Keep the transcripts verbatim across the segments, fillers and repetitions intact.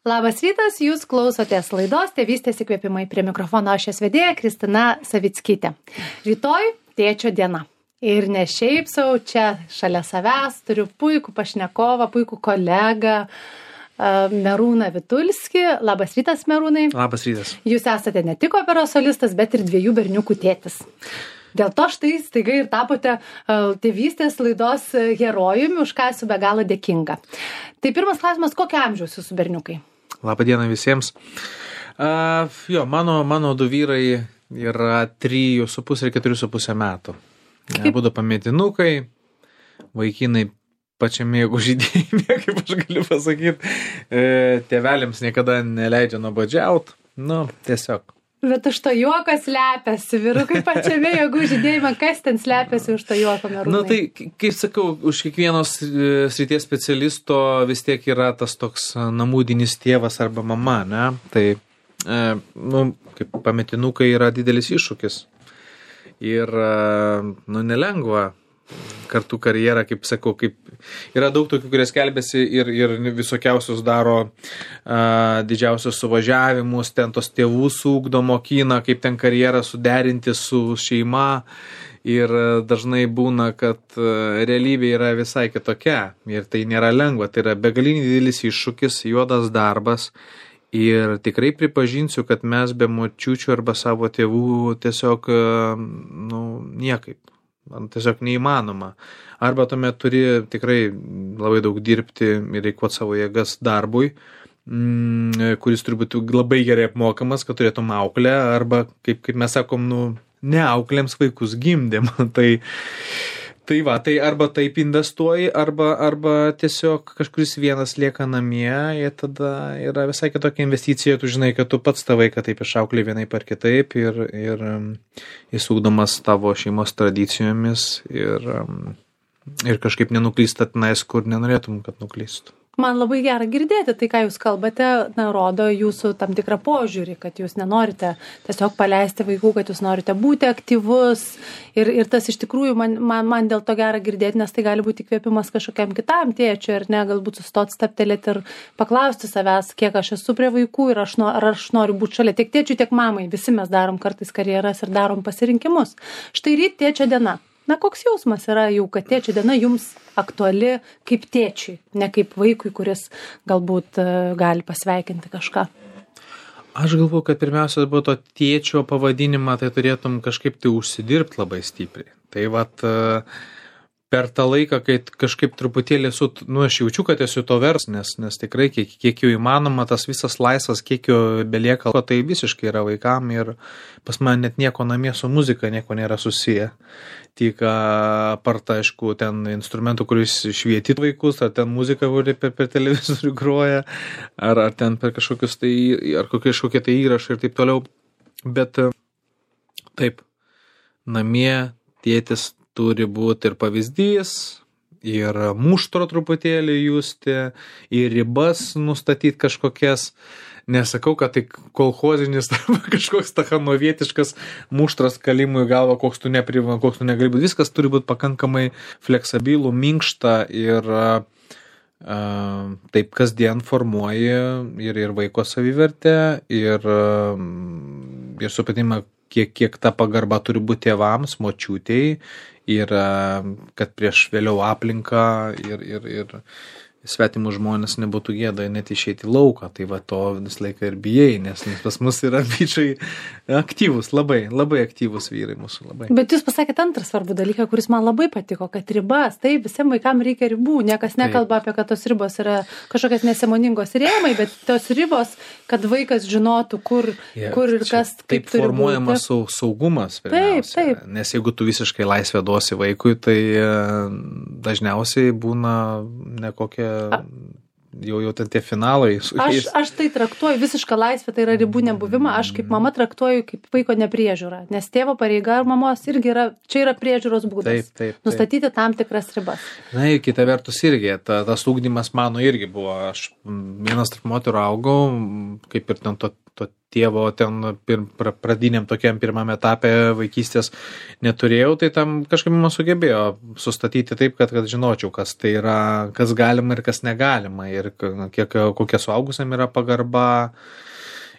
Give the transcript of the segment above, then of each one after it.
Labas rytas, jūs klausotės laidos Tėvystės įkvėpimai. Prie mikrofono aš jas vedėja Kristina Savickytė. Rytoj tėčio diena. Ir ne šiaip sau, čia šalia savęs turiu puikų pašnekovą, puikų kolegą Merūną Vitulskį. Labas rytas, Merūnai. Labas rytas. Jūs esate ne tik operos solistas, bet ir dviejų berniukų tėtis. Dėl to štai staiga ir tapote tėvystės laidos herojumi, už ką esu be galo dėkinga. Tai pirmas klausimas, kokio amžiaus jūsų berniukai? Labą dieną visiems. Uh, jo, mano, mano du vyrai yra trijų su pusė ir keturių su pusė metų. Būdu pamėtinukai, vaikinai pačiame jėgų žydėjime, kaip aš galiu pasakyti. E, tėveliams niekada neleidžia nuobodžiaut. Nu, tiesiog. Bet už to juoko slepiasi, vyrukai pačiame jėgų žydėjime, kas ten slepiasi už to juoko, Merūnai? Na tai, kaip sakau, už kiekvienos srities specialisto vis tiek yra tas toks namudinis tėvas arba mama, ne? Tai, e, nu, kaip pametinukai yra didelis iššūkis. Ir, nu, nelengva kartu karjerą, kaip sakau, kaip yra daug tokių, kurie skelbėsi ir, ir visokiausius daro a, didžiausios suvažiavimus, ten tos tėvų sūkdo mokina, kaip ten karjerą suderinti su šeima ir dažnai būna, kad a, realybė yra visai kitokia ir tai nėra lengva, tai yra begalinis didelis iššūkis, juodas darbas ir tikrai pripažinsiu, kad mes be močiučių arba savo tėvų tiesiog, nu, niekaip. Man tiesiog neįmanoma. Arba tuomet turi tikrai labai daug dirbti ir eikvot savo jėgas darbui, mm, kuris turi būti labai gerai apmokamas, kad turėtum auklę, arba, kaip, kaip mes sakom, nu, ne auklėms vaikus gimdėm. tai, tai va, tai arba taip investuoji, arba, arba tiesiog kažkuris vienas lieka namie, ir tada yra visai kitokia investicija, tu žinai, kad tu pats tą vaiką taip išauklė vienaip ar kitaip ir, ir jis ugdomas tavo šeimos tradicijomis ir, ir kažkaip nenuklysta tenais, kur nenorėtum, kad nuklystų. Man labai gera girdėti, tai ką jūs kalbate, na, rodo jūsų tam tikrą požiūrį, kad jūs nenorite tiesiog paleisti vaikų, kad jūs norite būti aktyvus ir, ir tas iš tikrųjų man, man, man dėl to gera girdėti, nes tai gali būti įkvėpimas kažkokiam kitam tėčiui, ar ne, galbūt sustot staptelėti ir paklausti savęs, kiek aš esu prie vaikų ir aš, no, ar aš noriu būti šalia tiek tėčiui, tiek mamai. Visi mes darom kartais karjeras ir darom pasirinkimus. Štai ryt tėčio diena. Na, koks jausmas yra jau, kad tėčio diena jums aktuali kaip tėčiui, ne kaip vaikui, kuris galbūt uh, gali pasveikinti kažką? Aš galvoju, kad pirmiausia buvo to tėčio pavadinimą, tai turėtum kažkaip tai užsidirbti labai stipriai. Tai vat uh, per tą laiką, kai kažkaip truputėlį esu, nu, aš jaučiu, kad esu to vers, nes, nes tikrai kiek, kiek jau įmanoma, tas visas laisvas, kiek jo belieka, tai visiškai yra vaikam ir pas mane net nieko namie su muzika nieko nėra susiję. Tik apart, aišku, ten instrumentų, kuris švietit vaikus, ar ten muzika, kuri per, per televizorių groja, ar, ar ten per kažkokius tai, ar kokie, kažkokie tai įrašai ir taip toliau. Bet taip, namie tėtis turi būti ir pavyzdys, ir muštro truputėlį justi, ir ribas nustatyti kažkokias. Nesakau, kad tai kolchozinis arba kažkoks tachanovietiškas muštras kalimui galva, koks tu neprivalai, koks tu negali būti. Viskas turi būti pakankamai fleksibilų, minkšta ir uh, taip kasdien formuoji ir, ir vaiko savivertę, ir, uh, ir supratimą, kiek, kiek ta pagarba turi būti tėvams, močiutei, ir uh, kad prieš vėliau aplinką ir, ir, ir svetimų žmonės nebūtų gėda net išeiti į lauką, tai va to vis laiką ir bijai, nes pas mus yra bičiai aktyvus, labai, labai aktyvus vyrai mūsų labai. Bet jūs pasakėte antrą svarbų dalyką, kuris man labai patiko, kad ribas, taip, visiems vaikams reikia ribų, niekas nekalba apie, kad tos ribos yra kažkokias nesąmoningos rėmai, bet tos ribos, kad vaikas žinotų, kur, yeah, kur ir kas, kaip turi būti. Taip formuojamas saugumas, pirmiausia. Taip, taip. Nes jeigu tu visiškai laisvę duosi vaikui, tai dažniausiai būna nekokia jau, jau ten tie finalai. Aš, aš tai traktuoju, visišką laisvę, tai yra ribų nebuvimą, aš kaip mama traktuoju kaip vaiko nepriežiūrą, nes tėvo pareiga ar mamos irgi yra, čia yra priežiūros būdas. Taip, taip, taip. Nustatyti tam tikras ribas. Na, ir kita vertus irgi, ta, tas ugdymas mano irgi buvo, aš vienas tarp moterų augau, kaip ir ten to, to tėvo ten pir, pra, pradiniam tokiam pirmam etapė vaikystės neturėjau, tai tam kažkaip man sugebėjo sustatyti taip, kad, kad žinočiau, kas tai yra, kas galima ir kas negalima, ir kiek, kokia suaugusiam yra pagarba.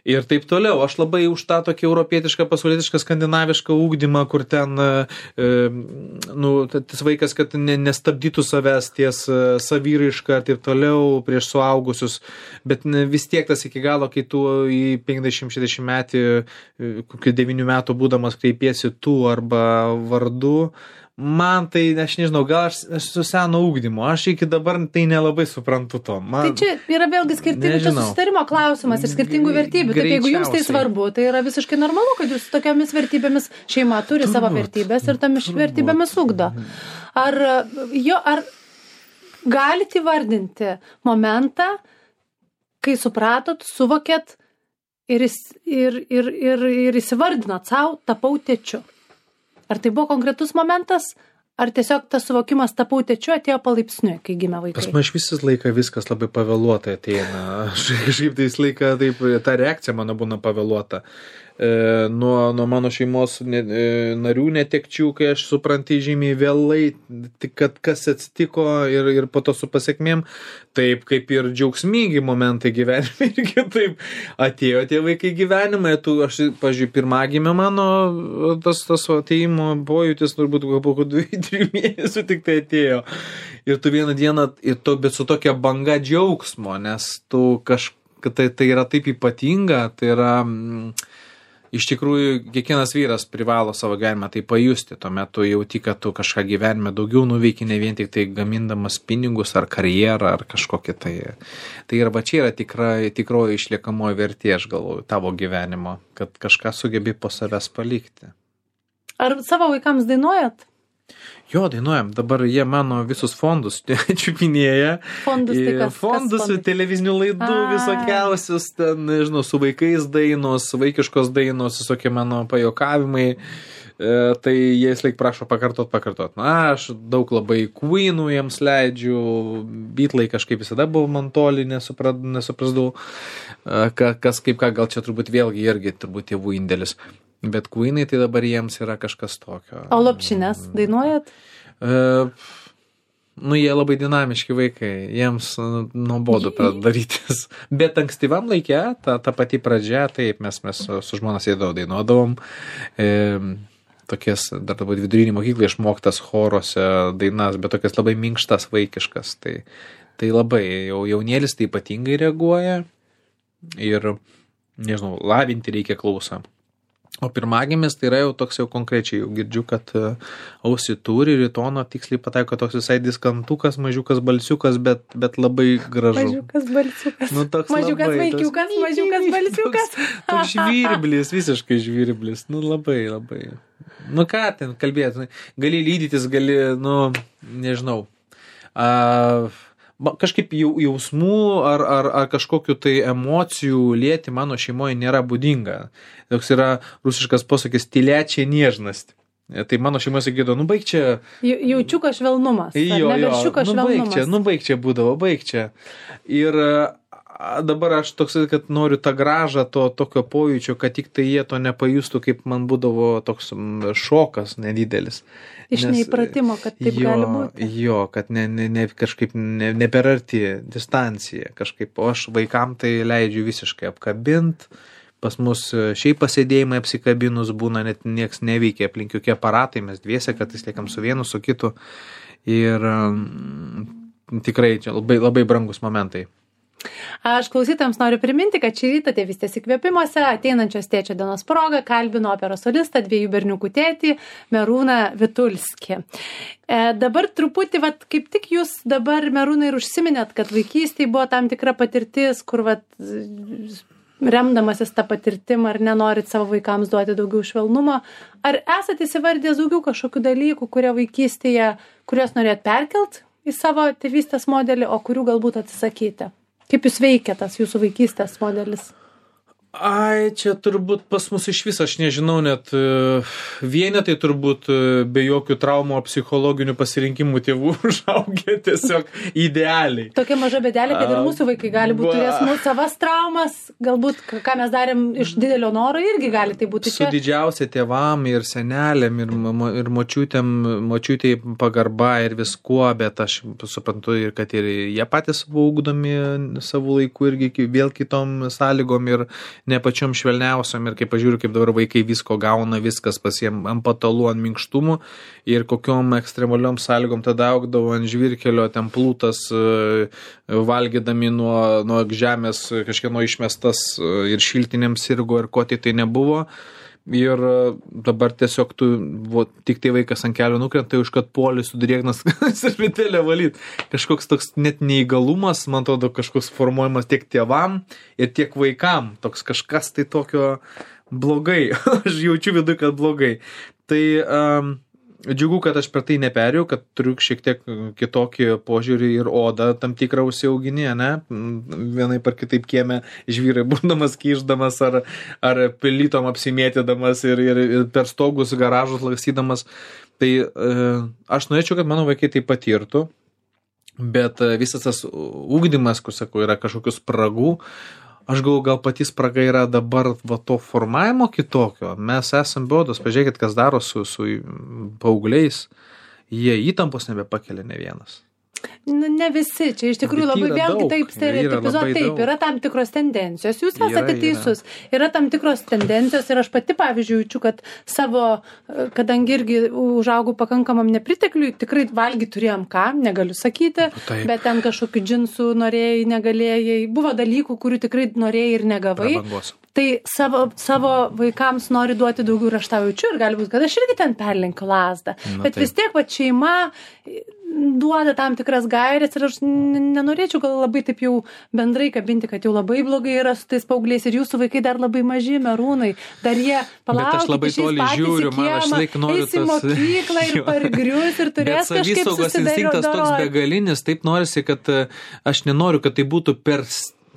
Ir taip toliau. Aš labai už tą tokį europietišką, pasaulietišką, skandinavišką ugdymą, kur ten, e, nu, tas vaikas, kad ne, nestabdytų savęs ties savyraišką ir taip toliau prieš suaugusius, bet ne, vis tiek tas iki galo, kai tu į penkiasdešimt šešiasdešimt metį, kokių devynių metų būdamas kreipiesi tu arba vardu, man tai, aš nežinau, gal aš, aš su seno ugdymo, aš iki dabar tai nelabai suprantu to. Man, tai čia yra vėlgi skirtingų, čia susitarimo klausimas ir skirtingų vertybių. Tai jeigu jums tai svarbu, tai yra visiškai normalu, kad jūs tokiamis vertybėmis šeima turi turbūt savo vertybės ir tomis vertybėmis ugdo. Ar, jo, ar galite įvardinti momentą, kai supratot, suvokėt ir, ir, ir, ir, ir įsivardinot savo, tapau tėčiu? Ar tai buvo konkretus momentas, ar tiesiog tas suvokimas tapau tėčiu atėjo palaipsniui, kai gimė vaikai? Pas man iš visą laiką viskas labai pavėluotai ateina. Aš kažkaip tai visą laiką, taip, ta reakcija mano būna pavėluota. E, nuo, nuo mano šeimos ne, e, narių netekčių, kai aš supranti žymiai vėlai, tik kad kas atsitiko ir, ir po to su pasiekmėm, taip kaip ir džiaugsmingi momentai gyvenime irgi taip atėjo tie vaikai gyvenime. Tu, aš, pažiūrėjau, pirmagimė mano tas, tas atėjimo pojūtis turbūt po dviejų trijų mėnesių tik tai atėjo. Ir tu vieną dieną, ir tu, bet su tokia banga džiaugsmo, nes tu kažkaip, tai, tai yra taip ypatinga, tai yra... Mm, iš tikrųjų, kiekvienas vyras privalo savo gyvenimą tai pajusti, tuomet tu jauti, kad tu kažką gyvenime daugiau nuveiki, ne vien tik tai gamindamas pinigus ar karjerą ar kažkokį tai. Tai ir va čia yra tikra, tikroji išliekamoji vertė, aš galvoju, tavo gyvenimo, kad kažką sugebi po savęs palikti. Ar savo vaikams dainuojat? Jo, dainuojam. Dabar jie mano visus fondus čiupinėja. Fondus, tai kas, fondus kas televizinių laidų A. visokiausius, ten, nežinau, su vaikais dainos, vaikiškos dainos, visokie mano pajokavimai. E, tai jie vis laik prašo pakartot, pakartot. Na, aš daug labai Queenų jiems leidžiu, Beatlai kažkaip visada buvo man toli, nesuprasdavau, e, kas kaip ką, gal čia turbūt vėlgi irgi turbūt tėvų indėlis. Bet Queenai tai dabar jiems yra kažkas tokio. O Lopšines dainuojat? E, nu, jie labai dinamiški vaikai, jiems nuobodu darytis. Bet ankstyvam laikė, ta, ta pati pradžia, taip, mes, mes su žmona sėdavo dainuodavom. E, tokias, dar dabar vidurinį mokyklą išmoktas chorose dainas, bet tokias labai minkštas, vaikiškas. Tai, tai labai, jau jaunėlis tai ypatingai reaguoja ir, nežinau, lavinti reikia klausą. O pirmagimis tai yra jau toks jau konkrečiai, jau girdžiu, kad ausį turi ir į toną tiksliai pataiko toks visai diskantukas, mažiukas balsiukas, bet, bet labai gražu. Mažiukas balsiukas. Nu, mažiukas labai, vaikiukas, toks, mažiukas balsiukas. Toks, toks žvirblis, visiškai žvirblis. Nu, labai, labai. Nu, ką ten kalbėti? Gali lydytis, gali, nu, nežinau. A, kažkaip jausmų ar, ar, ar kažkokių tai emocijų lieti mano šeimoje nėra būdinga. Toks yra rusiškas posakis tylečiai niežnasti. Tai mano šeimoje sakydavo, nu baig čia. Jaučiuko švelnumas. Jo, jo, švelnumas. nu baig čia, nu baig čia būdavo, baig čia. Ir dabar aš toks, kad noriu tą gražą to tokio pojūčio, kad tik tai jie to nepajustų, kaip man būdavo toks šokas nedidelis. Iš Nes, neįpratimo, kad taip jo, gali būti. Jo, kad ne, ne, ne, kažkaip ne, ne per arti distancija. Kažkaip, o aš vaikam tai leidžiu visiškai apkabint. Pas mus šiaip pasėdėjimai apsikabinus būna, net nieks neveikia aplink jokie aparatai, mes dviese, kad jis liekam su vienu, su kitu. Ir um, tikrai čia labai, labai brangus momentai. Aš klausytams noriu priminti, kad šį rytą tėvystės įkvėpimuose ateinančios tėčio dienos proga kalbino operos solistą, dviejų berniukų tėtį, Merūną Vitulskį. E, dabar truputį, vat, kaip tik jūs dabar, Merūnai, ir užsiminėt, kad vaikystėje buvo tam tikra patirtis, kur vat, remdamasis tą patirtimą ar nenorit savo vaikams duoti daugiau švelnumo. Ar esate įsivardęs daugiau kažkokių dalykų, kurie vaikystėje, kuriuos norėt perkelt į savo tėvystės modelį, o kurių galbūt atsisakyti? Kaip jūs veikia tas jūsų vaikystės modelis? Ai, čia turbūt pas mus iš viso, aš nežinau, net vienetai turbūt be jokių traumų, psichologinių pasirinkimų tėvų užaugę tiesiog idealiai. Tokia maža bėdelė, kad ir mūsų vaikai gali būti turės mūsų savas traumas, galbūt ką mes darėm iš didelio noro irgi gali tai būti. Su čia... didžiausia tėvam ir senelėm ir, ir močiutėm, močiutėj pagarba ir viskuo, bet aš suprantu ir kad ir jie patys buvo ugdomi savo laiku irgi vėl kitom sąlygom ir ne pačiom švelniausiom ir kaip pažiūriu, kaip dabar vaikai visko gauna, viskas pasiem ant patalų, ant minkštumų ir kokiom ekstremaliom sąlygom tada augdavo ant žvirkelio, ten plūtas, valgydami nuo, nuo žemės kažkieno išmestas ir šiltinėm sirgo ir ko tai tai nebuvo. Ir dabar tiesiog tu, vo, tik tai vaikas ant kelio nukrenta, už kad puoli sudriegnas servetėlę valyt. Kažkoks toks net neįgalumas, man atrodo, kažkoks formuojamas tiek tėvam ir tiek vaikam. Toks kažkas tai tokio blogai. Aš jaučiu viduje, kad blogai. Tai um, džiugu, kad aš per tai neperėjau, kad turiu šiek tiek kitokį požiūrį ir odą tam tikrą užsiauginį, ne? Vienai par kitaip kieme žvyrai burdamas, kyždamas ar, ar pelytom apsimėtydamas ir, ir, ir per stogus garažus lakstydamas. Tai e, aš norėčiau, kad mano vaikai tai patirtų, bet visas tas ugdymas, kur sakau, yra kažkokius spragų. Aš galvoju, gal pati spraga yra dabar va, to formavimo kitokio. Mes esam biodos, pažiūrėkit, kas daro su, su paaugliais. Jie įtampos nebepakelia ne vienas. Nu, ne visi, čia iš tikrųjų labai vėlgi taip stereotipizuoti, taip, daug. Yra tam tikros tendencijos, jūs esate teisus, yra. yra tam tikros tendencijos ir aš pati, pavyzdžiui, jaučiu, kad savo, kadangi irgi užaugau pakankamam nepritekliui, tikrai valgy turėjom ką, negaliu sakyti, taip. Bet ten kažkokių džinsų norėjai, negalėjai, buvo dalykų, kurių tikrai norėjai ir negavai. Prabangos. Tai savo, savo vaikams nori duoti daugiau ir aš tą jaučiu ir gali būti, kad aš irgi ten perlenkiu lazdą, Na, bet taip. Vis tiek, va, šeima duoda tam tikras gairės ir aš nenorėčiau gal labai taip jau bendrai kabinti, kad jau labai blogai yra su tais paaugliais ir jūsų vaikai dar labai maži, merūnai, dar jie palaukit, bet aš labai toli žiūriu, man aš laik noriu eis į mokyklą ir pargrius ir turės kažkaip susidaryti. Instinktas toks begalinis, taip norisi, kad aš nenoriu, kad tai būtų per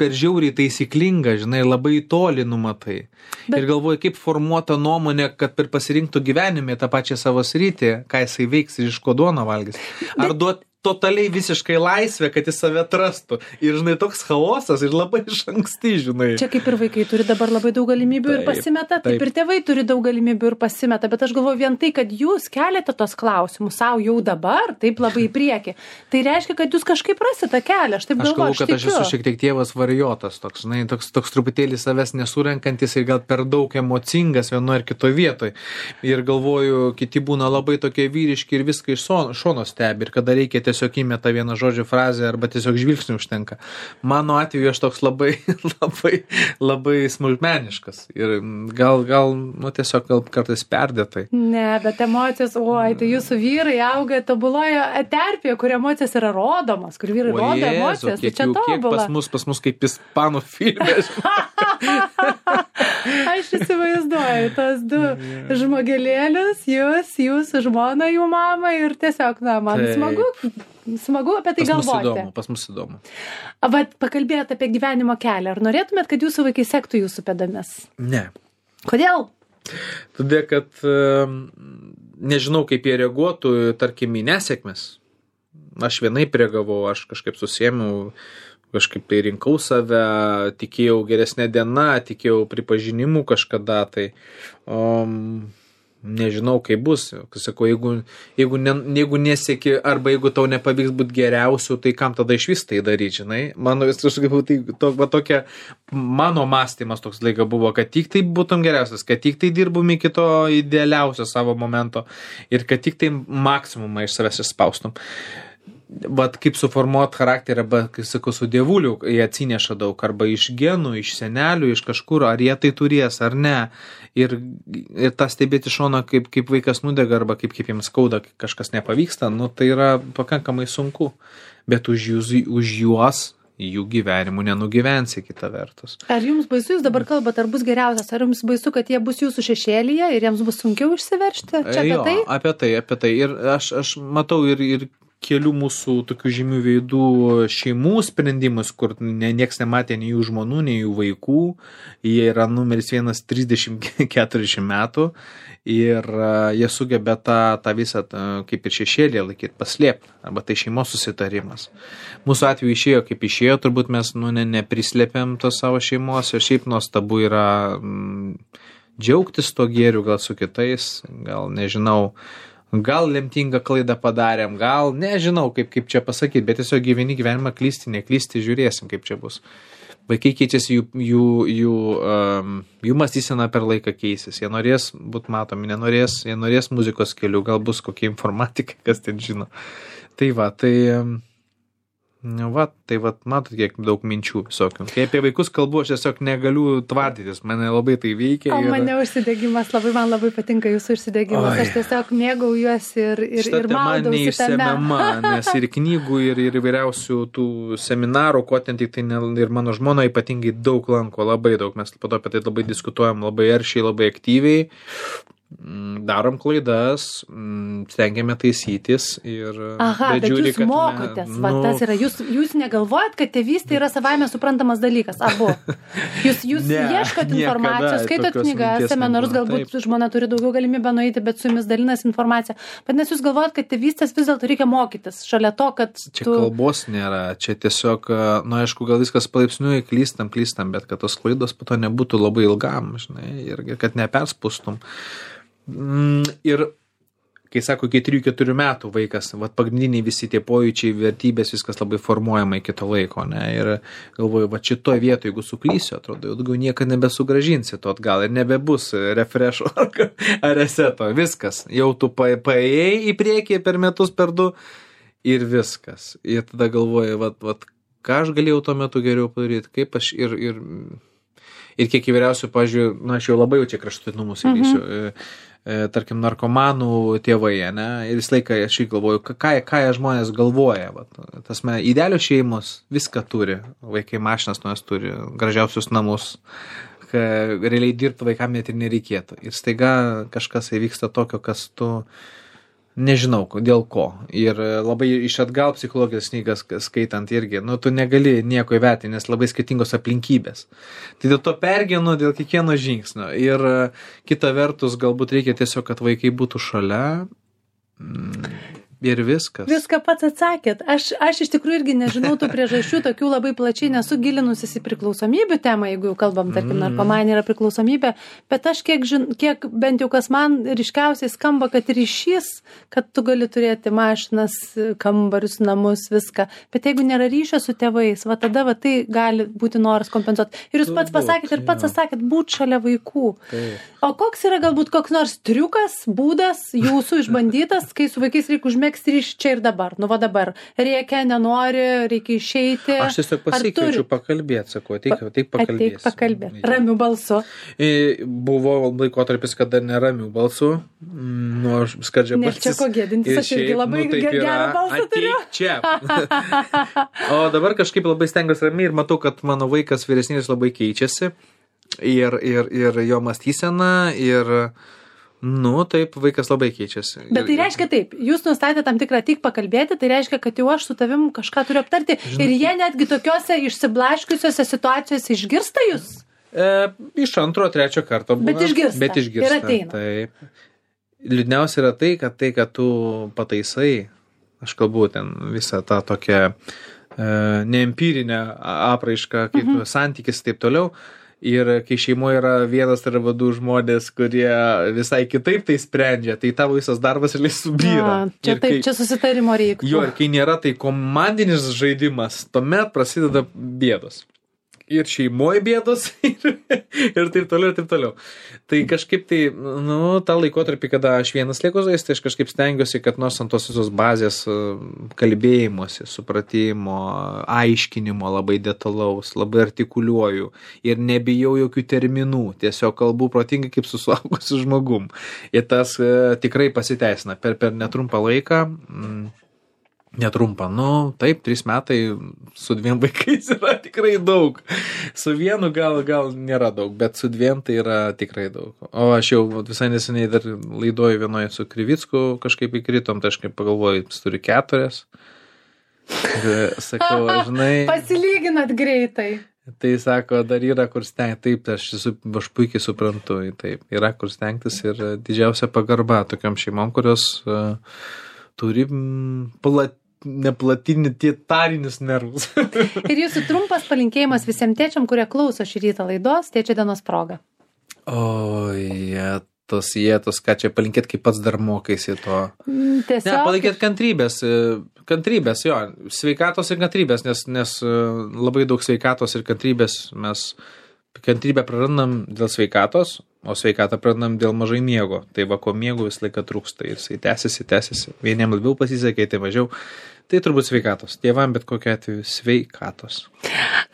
per žiauriai taisyklinga, žinai, labai toli numatai. Bet... Ir galvoju, kaip formuota nuomonė, kad per pasirinktų gyvenime tą pačią savo sritį, ką jisai veiks ir iš ko duoną valgys. Ar Bet... duot totaliai visiškai laisvę, kad jis save atrastų. Ir, žinai, toks chaosas ir labai iš anksti, žinai. Čia kaip ir vaikai turi dabar labai daug galimybių taip, ir pasimeta, taip, taip ir tėvai turi daug galimybių ir pasimeta, bet aš galvoju vien tai, kad jūs keliate tos klausimus savo jau dabar, taip labai į priekį. Tai reiškia, kad jūs kažkaip rasite kelią. Aš taip galvoju, aš galvoju, kad tikiu. Aš esu šiek tiek tėvas varijotas, toks, žinai, toks, toks truputėlį savęs nesurenkantis ir gal per daug emocingas vienoje ar kitoje vietoje. Ir galvoju, kiti būna labai tokie vyriški ir viską iš šono stebi ir kada reikia tiesiog įmeta vieną žodžio frazę arba tiesiog žvilgsnių užtenka. Mano atveju aš toks labai, labai, labai smulkmeniškas ir gal, gal, nu tiesiog gal kartais perdėtai. Ne, bet emocijos, oi, tai jūsų vyrai auga tobuloje terpėje, kur emocijos yra rodomas, kur vyrai o rodo Jėzu, emocijas, kiek, tai čia jau, tobula. Kiek pas mus, pas mus kaip ispanų filme. Aš įsivaizduoju tos du žmogelėlius, jūs, jūsų žmona, jų mama ir tiesiog, na, man tai... smagu. Smagu apie tai pas galvoti. Įdomu, pas mus įdomu. Vat pakalbėjot apie gyvenimo kelią. Ar norėtumėt, kad jūsų vaikai sektų jūsų pėdomis? Ne. Kodėl? Todėl, kad nežinau, kaip jie reaguotų, tarkim, į nesėkmes. Aš vienaip reagavau, aš kažkaip susėmiau, kažkaip tai rinkau save, tikėjau geresnė diena, tikėjau pripažinimu kažkada, tai um, nežinau, kaip bus. Sakau, jeigu, jeigu, ne, jeigu nesieki arba jeigu tau nepavyks būti geriausiu, tai kam tada iš vis tai daryti, žinai? Mano vis kažkaip tai, to, va, tokia, mano mąstymas toks laika buvo, kad tik tai būtum geriausias, kad tik tai dirbum iki to idealiausio savo momento ir kad tik tai maksimumą iš savęs išspaustum. Vat kaip suformuot charakterį, arba, kaip sakau, su dievuliu, jie atsineša daug, arba iš genų, iš senelių, iš kažkur, ar jie tai turės, ar ne. Ir, ir tą stebėti šoną, kaip, kaip vaikas nudega, arba kaip, kaip jiems skauda, kažkas nepavyksta, nu tai yra pakankamai sunku. Bet už, jūs, už juos, jų gyvenimų nenugyvensi kita vertus. Ar jums baisu, jūs dabar kalbate, ar bus geriausias, ar jums baisu, kad jie bus jūsų šešėlyje ir jiems bus sunkiau išsiveršti? Čia apie jo, tai? Apie tai, apie tai. Ir aš, aš matau ir, ir kelių mūsų tokių žymių veidų šeimų sprendimus, kur ne, nieks nematė nei jų žmonų, nei jų vaikų. Jie yra numeris vienas trisdešimt keturiasdešimt metų ir uh, jie sugebė tą, tą visą, uh, kaip ir šešėlį laikyti, paslėpti, arba tai šeimos susitarimas. Mūsų atveju išėjo, kaip išėjo, turbūt mes nu, ne, neprislėpėm tos savo šeimos ir šiaip nuostabu yra mm, džiaugtis to gėriu gal su kitais, gal nežinau, gal lemtingą klaidą padarėm, gal nežinau, kaip, kaip čia pasakyti, bet tiesiog gyveni gyvenimą, klysti, neklysti, žiūrėsim, kaip čia bus. Vaikai keičiasi, jų, jų, jų, um, jų mąstysena per laiką keisis. Jie norės būti matomi, nenorės, jie norės muzikos kelių, gal bus kokie informatikai, kas ten žino. Tai va, tai... Um, Va, tai va, matot, kiek daug minčių visokių. Kai apie vaikus kalbu, aš tiesiog negaliu tvardytis, mane labai tai veikia. O ir... mane užsidegimas, labai man labai patinka jūsų užsidegimas, Oi. Aš tiesiog mėgaujuosi ir, ir, Šita ir maudausi tame. Nes ir knygų, ir, ir įvairiausių tų seminarų, ko ten tik tai, ne, ir mano žmona ypatingai daug lanko, labai daug, mes po to apie tai labai diskutuojam, labai aršiai, labai aktyviai. Darom klaidas, stengiame taisytis ir... Aha, bet žiūri, jūs mokotės, me, va, nu... tas yra, jūs, jūs negalvojat, kad tėvystė yra savaime suprantamas dalykas, abu. Jūs, jūs ne, ieškot informacijos, skaitot knygas, seminarus, galbūt taip. Žmona turi daugiau galimybę nueiti, bet su jumis dalinas informacija. Bet nes jūs galvojat, kad tėvystės vis dėlto reikia mokytis, šalia to, kad... Čia tu... kalbos nėra, čia tiesiog, nu aišku, gal viskas palaipsniui klystam, klystam, bet kad tos klaidos po to nebūtų labai ilgam, žinai, ir, ir kad neperspustum. Ir kai sako, iki trijų keturių metų vaikas, vat pagrindiniai visi tie pojūčiai, vertybės, viskas labai formuojama iki to laiko, ne, ir galvoju, va šitoj vietoje, jeigu suklysiu, atrodo, jau daugiau niekada nebesugražinsi to atgal ir nebebus refresho ar reseto, viskas, jau tu paėjai į priekį per metus, per du ir viskas, ir tada galvoju, vat, vat, ką aš galėjau tuo metu geriau padaryti, kaip aš ir, ir, ir kiek įvairiausių, pažiūrėjau, na, aš jau labai jau čia kraštutinumus įlysiu, mhm. tarkim, narkomanų tėvai, ne, ir visą laiką aš galvoju, ką, ką jie žmonės galvoja, vat, tas me, idealių šeimos viską turi, vaikai mašinas nuos turi, gražiausius namus, realiai dirbti vaikam net ir nereikėtų, ir staiga kažkas įvyksta tokio, kas tu nežinau, dėl ko. Ir labai iš atgal psichologijos knygas skaitant irgi, nu, tu negali nieko įvertinti, nes labai skirtingos aplinkybės. Tai dėl to pergyvenu dėl kiekvieno žingsnio. Ir kita vertus, galbūt reikia tiesiog, kad vaikai būtų šalia. Ir viskas. Viską pats atsakėt. Aš, aš iš tikrųjų irgi nežinau tų priežasčių, tokių labai plačiai nesu gilinusis į priklausomybių temą, jeigu jau kalbam, tarkim, mm. narkomanija yra priklausomybė, bet aš kiek, žin, kiek bent jau kas man ryškiausiai skamba, kad ryšys, kad tu gali turėti mašinas, kambarius, namus, viską, bet jeigu nėra ryšio su tėvais, va tada va, tai gali būti noras kompensuoti. Ir jūs pats pasakėt ir pats pasakėt, būt šalia vaikų. Taip. O koks yra galbūt koks nors triukas, būdas jūsų išbandytas, kai su vaikais reikia užmėgti ryšį čia ir dabar, nu va dabar, reikia, nenori, reikia išeiti. Aš tiesiog pasikviečiu pakalbėti, sakau, ateik, ateik pakalbėti. Ateik pakalbėti, ramių balsu. Buvo laikotarpis, kada neramių balsu, nu aš skardžia balsis. Ne čia ko gėdintis, aš irgi labai nu, gerą balsą turiu. Čia. O dabar kažkaip labai stengiuosi ramiai ir matau, kad mano vaikas vyresnys labai keičiasi ir, ir, ir jo mąstysena ir nu, taip, vaikas labai keičiasi. Bet tai reiškia taip, jūs nustatėte tam tikrą tik pakalbėti, tai reiškia, kad jau aš su tavim kažką turiu aptarti. Žinai, ir jie netgi tokiose išsiblaškiusiose situacijose išgirsta jūs? E, iš antro, trečio karto būna. Bet išgirsta. Bet išgirsta. Ir ateina. Taip. Liūdniausia yra tai, kad tai, kad tu pataisai, aš kalbu ten visą tą tokią e, neempirinę apraišką, kaip mhm. santykis ir taip toliau. Ir kai šeimoje yra vienas arba du žmonės, kurie visai kitaip tai sprendžia, tai tavo visas darbas realiai subyra. Ja, čia, taip, kai, čia susitarimo reiktų. Jo, ir kai nėra tai komandinis žaidimas, tuomet prasideda bėdos. Ir šeimoje bėdos, ir, ir taip toliau, ir taip toliau. Tai kažkaip tai, nu, tą laikotarpį, kada aš vienas lieku žaisti, tai aš kažkaip stengiuosi, kad nors ant tos visos bazės kalbėjimuose, supratimo, aiškinimo labai detalaus, labai artikuliuoju ir nebijau jokių terminų, tiesiog kalbu protingai kaip su suaugusiu žmogum. Ir tas e, tikrai pasiteisina per, per netrumpą laiką. Mm, Netrumpa. Nu, taip, trys metai su dviem vaikais yra tikrai daug. Su vienu gal, gal nėra daug, bet su dviem tai yra tikrai daug. O aš jau visai neseniai dar laidoju vienoje su Krivicku, kažkaip įkritom, tai aš kaip pagalvoju, jis turi keturias. Ir sakau, žinai. Pasilyginat greitai. Tai sako, dar yra kur stengtis. Taip, aš, esu, aš puikiai suprantu. Taip, yra kur stengtis ir didžiausia pagarba tokiam šeimom, kurios uh, turi mm, plat, neplatinį tėtarinius nervus. Ir jūsų trumpas palinkėjimas visiems tėčiam, kurie klauso šį rytą laidos, tėčio dienos proga. O, jėtos, jėtos, ką čia palinkėt, kaip pats dar mokaisi to. Tiesiog. Ne, palinkėt kantrybės, kantrybės, jo, sveikatos ir kantrybės, nes, nes labai daug sveikatos ir kantrybės mes kantrybę prarandam dėl sveikatos, o sveikatą prarandam dėl mažai miego. Tai va, ko miego visą laiką trūksta ir jisai tęsiasi, tęsiasi. Vieniem labiau pasisekė, tai mažiau. Tai turbūt sveikatos. Tėvam bet kokiu atveju sveikatos.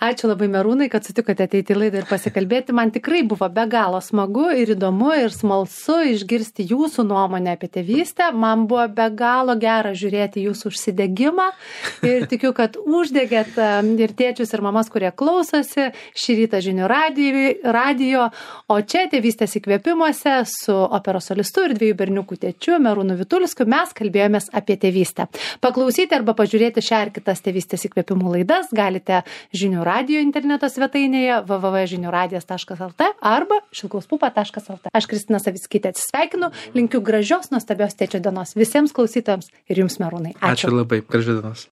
Ačiū labai, Merūnai, kad sutikote ateiti į laidą ir pasikalbėti. Man tikrai buvo be galo smagu ir įdomu ir smalsu išgirsti jūsų nuomonę apie tėvystę. Man buvo be galo gera žiūrėti jūsų užsidegimą ir tikiu, kad uždegėt ir tėčius ir mamas, kurie klausosi šį rytą žinių radijo, o čia tėvystės įkvėpimuose su operos solistu ir dviejų berniukų tėčiu Merūnu Vitulskiu mes kalbėjomės apie tėvystę. Paklausyti arba pažiūrėti šią ir kitas tėvystės įkvėpimų laidas galite žinių radijo interneto svetainėje w w w taškas žinių radijas taškas l t arba šilkauspupa taškas l t. Aš Kristina Savickytė atsisveikinu, linkiu gražios, nuostabios tėčio dienos visiems klausytojams ir jums, Merūnai. Ačiū. Ačiū labai, gražios dienos.